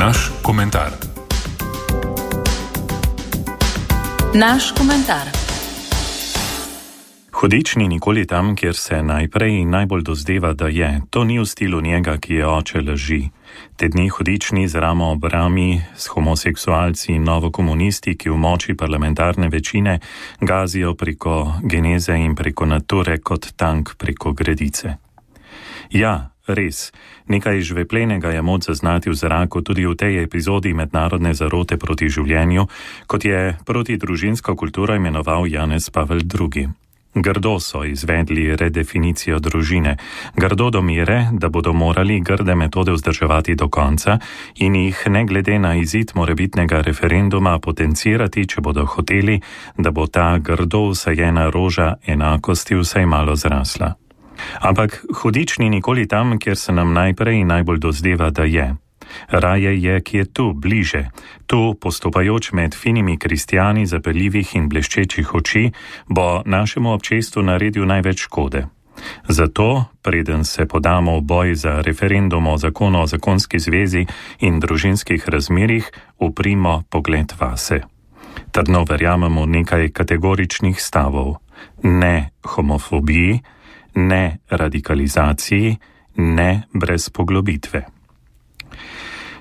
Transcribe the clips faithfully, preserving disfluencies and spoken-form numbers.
Naš komentar. Naš komentar. Hudič ni nikoli tam, kjer se najprej in najbolj dozdeva, da je. To ni v stilu njega, ki je oče laži. Te dni hudič ni z ramo ob rami s homoseksualci in novokomunisti, ki v moči parlamentarne večine gazijo preko geneze in preko nature kot tank preko gredice. Ja, res, nekaj žveplenega je moč zaznati v zraku tudi v tej epizodi mednarodne zarote proti življenju, kot je proti družinsko kulturo imenoval Janez Pavel drugi. Grdo so izvedli redefinicijo družine, grdo do mere, da bodo morali grde metode vzdrževati do konca in jih ne glede na izid morebitnega referenduma potencirati, če bodo hoteli, da bo ta grdo vsajena roža enakosti vsaj malo zrasla. Ampak hudič ni nikoli tam, kjer se nam najprej in najbolj dozdeva, da je. Raje je, ki je tu, bliže, tu, postopajoč med finimi kristjani zapeljivih in bleščečih oči, bo našemu občestvu naredil največ škode. Zato, preden se podamo v boj za referendum o zakonu o zakonski zvezi in družinskih razmerjih, uprimo pogled vase. Trdno verjamemo nekaj kategoričnih stavov. Ne homofobiji, ne radikalizaciji, ne brez poglobitve.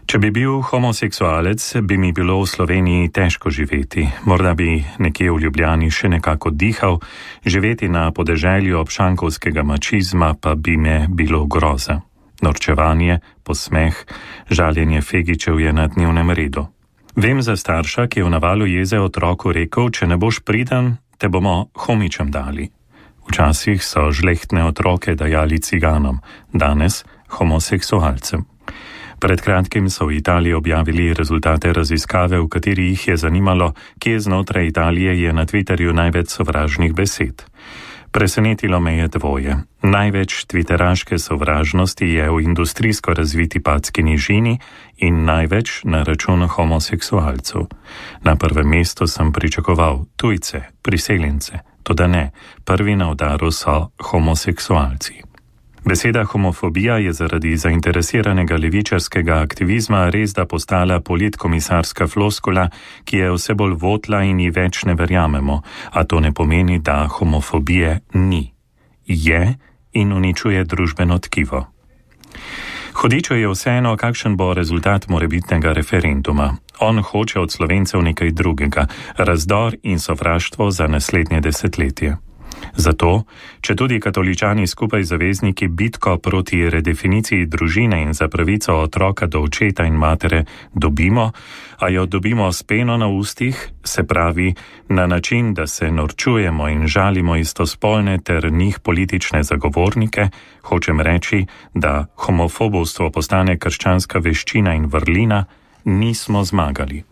Če bi bil homoseksualec, bi mi bilo v Sloveniji težko živeti. Morda bi nekje v Ljubljani še nekako dihal, živeti na podeželju obšankovskega mačizma pa bi me bilo groza. Norčevanje, posmeh, žaljenje Fegičev je na dnevnem redu. Vem za starša, ki je v navalu jeze otroku rekel, če ne boš priden, te bomo homičem dali. Včasih so žlehtne otroke dajali ciganom, danes homoseksualcem. Pred kratkim so v Italiji objavili rezultate raziskave, v kateri jih je zanimalo, kje znotraj Italije je na Twitterju največ sovražnih besed. Presenetilo me je dvoje. Največ twitteraške sovražnosti je v industrijsko razviti Padski nižini in največ na račun homoseksualcev. Na prvem mestu sem pričakoval tujce, priseljence, toda ne, prvi na udaru so homoseksualci. Beseda homofobija je zaradi zainteresiranega levičarskega aktivizma res da postala politkomisarska floskula, ki je vse bolj votla in ji več ne verjamemo, a to ne pomeni, da homofobije ni. Je in uničuje družbeno tkivo. Hudiču je vseeno, kakšen bo rezultat morebitnega referenduma. On hoče od Slovencev nekaj drugega, razdor in sovraštvo za naslednje desetletje. Zato, če tudi katoličani skupaj zavezniki bitko proti redefiniciji družine in za pravico otroka do očeta in matere dobimo, a jo dobimo s peno na ustih, se pravi na način, da se norčujemo in žalimo istospolne ter njih politične zagovornike, hočem reči, da homofobovstvo postane krščanska veščina in vrlina, nismo zmagali.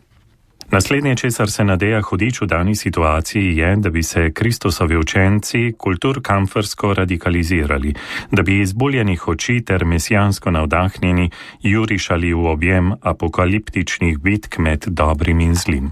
Naslednje, česar se nadeja hudič v dani situaciji, je, da bi se Kristusovi učenci kulturkampfersko radikalizirali, da bi izbuljenih oči ter mesijansko navdahnjeni jurišali v objem apokaliptičnih bitk med dobrim in zlim.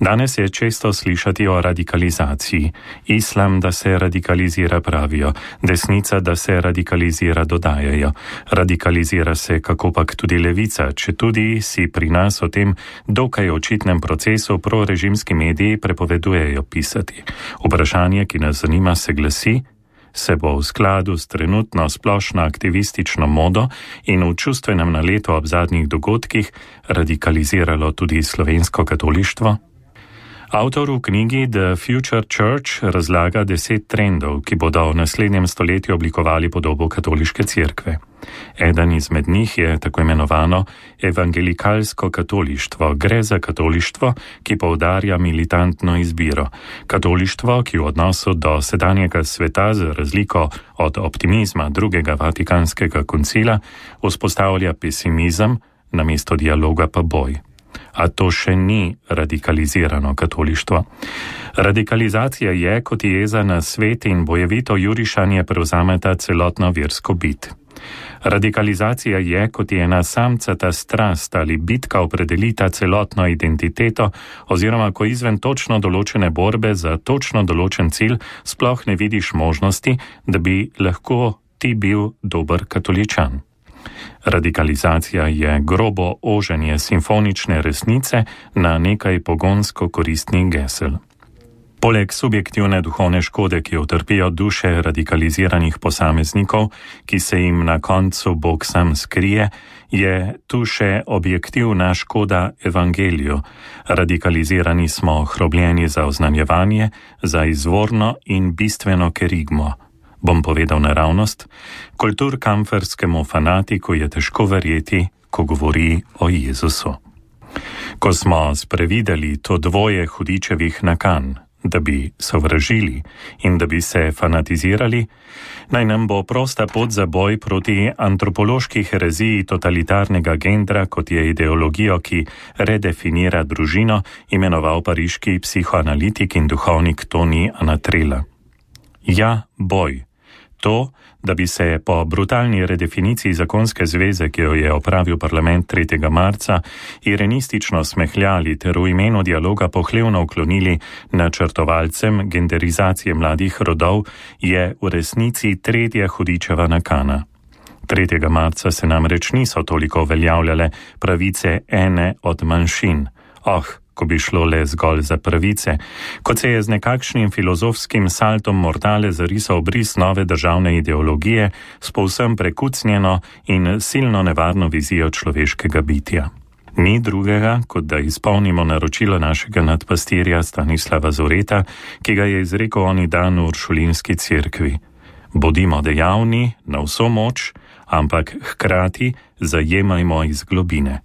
Danes je često slišati o radikalizaciji. Islam, da se radikalizira, pravijo, desnica, da se radikalizira, dodajajo. Radikalizira se kakopak tudi levica, če tudi si pri nas o tem dokaj očitnem procesu prorežimski mediji prepovedujejo pisati. Vprašanje, ki nas zanima, se glasi: se bo v skladu s trenutno splošno aktivistično modo in v čustvenem naletu ob zadnjih dogodkih radikaliziralo tudi slovensko katolištvo? Avtor v knjigi The Future Church razlaga deset trendov, ki bodo v naslednjem stoletju oblikovali podobo katoliške cerkve. Eden izmed njih je tako imenovano evangelikalsko katolištvo. Gre za katolištvo, ki poudarja militantno izbiro. Katolištvo, ki v odnosu do sedanjega sveta za razliko od optimizma drugega vatikanskega koncila vzpostavlja pesimizem, namesto dialoga pa boj. A to še ni radikalizirano katolištvo. Radikalizacija je, kot jeza na svet in bojevito jurišanje prevzameta celotno versko bit. Radikalizacija je, kot je ena samcata strast ali bitka opredelita celotno identiteto, oziroma ko izven točno določene borbe za točno določen cilj sploh ne vidiš možnosti, da bi lahko ti bil dober katoličan. Radikalizacija je grobo oženje simfonične resnice na nekaj pogonsko koristnih gesel. Poleg subjektivne duhovne škode, ki jo utrpijo duše radikaliziranih posameznikov, ki se jim na koncu Bog sam skrije, je tu še objektivna škoda evangeliju. Radikalizirani smo hrobljeni za oznanjevanje, za izvorno in bistveno kerigmo. Bom povedal naravnost, kulturkampferskemu fanatiku je težko verjeti, ko govori o Jezusu. Ko smo sprevideli to dvoje hudičevih nakan, da bi sovražili in da bi se fanatizirali, naj nam bo prosta pot za boj proti antropološki hereziji totalitarnega gendra, kot je ideologijo, ki redefinira družino, imenoval pariški psihoanalitik in duhovnik Toni Anatrela. Ja, boj. To, da bi se po brutalni redefiniciji zakonske zveze, ki jo je opravil parlament tretjega marca, irenistično smehljali ter v imenu dialoga pohlevno uklonili načrtovalcem genderizacije mladih rodov, je v resnici tretja hudičeva nakana. tretjega marca se namreč niso toliko uveljavljale pravice ene od manjšin. Oh, ko bi šlo le zgolj za pravice, kot se je z nekakšnim filozofskim saltom mortale zarisal obris nove državne ideologije s povsem prekucnjeno in silno nevarno vizijo človeškega bitja. Ni drugega, kot da izpolnimo naročilo našega nadpastirja Stanislava Zoreta, ki ga je izrekel oni dan v Uršulinski cerkvi. Bodimo dejavni na vso moč, ampak hkrati zajemajmo iz globine.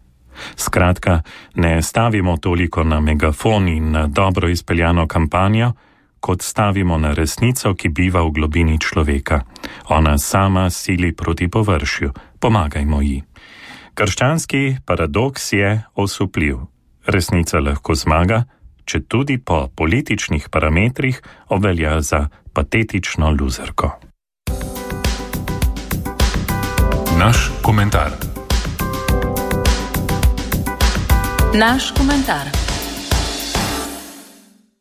Skratka, ne stavimo toliko na megafon in na dobro izpeljano kampanjo, kot stavimo na resnico, ki biva v globini človeka. Ona sama sili proti površju. Pomagajmo ji. Krščanski paradoks je osupljiv. Resnica lahko zmaga, če tudi po političnih parametrih obvelja za patetično luzerko. Naš komentar. Naš komentar.